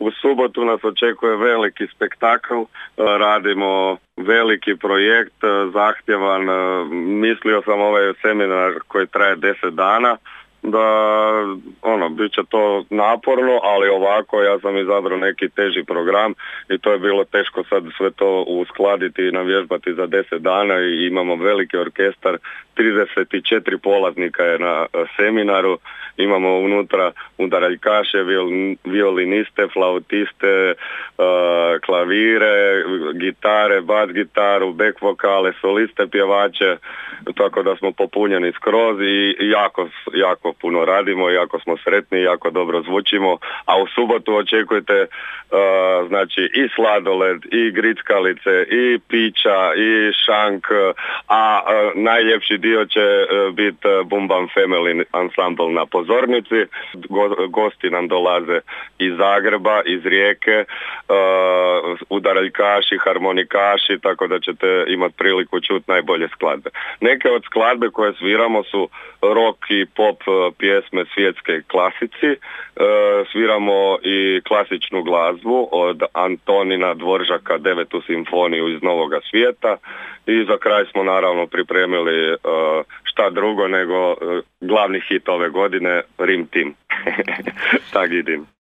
U subotu nas očekuje veliki spektakl, radimo veliki projekt, zahtjevan. Mislio sam ovaj seminar koji traje 10 dana, da bit će to naporno, ali ovako ja sam izabrao neki teži program i to je bilo teško sad sve to uskladiti i navježbati za 10 dana i imamo veliki orkestar, 34 polaznika je na seminaru, imamo unutra udaraljkaše, violiniste, flautiste, klavire, gitare, bas gitaru, back vokale, soliste, pjevače, tako da smo popunjeni skroz i jako puno radimo, jako smo sretni, jako dobro zvučimo, a u subotu očekujete znači i sladoled, i grickalice, i pića, i šank, a najljepši dio će biti Bum Bam Family Ensemble na pozornici. Gosti nam dolaze iz Zagreba, iz Rijeke, udaraljkaši, harmonikaši, tako da ćete imati priliku čuti najbolje skladbe. Neke od skladbe koje sviramo su rock i pop pjesme svjetske klasici. Sviramo i klasičnu glazbu od Antonina Dvoržaka, 9. simfoniju iz Novoga svijeta i za kraj smo naravno pripremili šta drugo nego glavni hit ove godine, Rim Tim. Tak idem.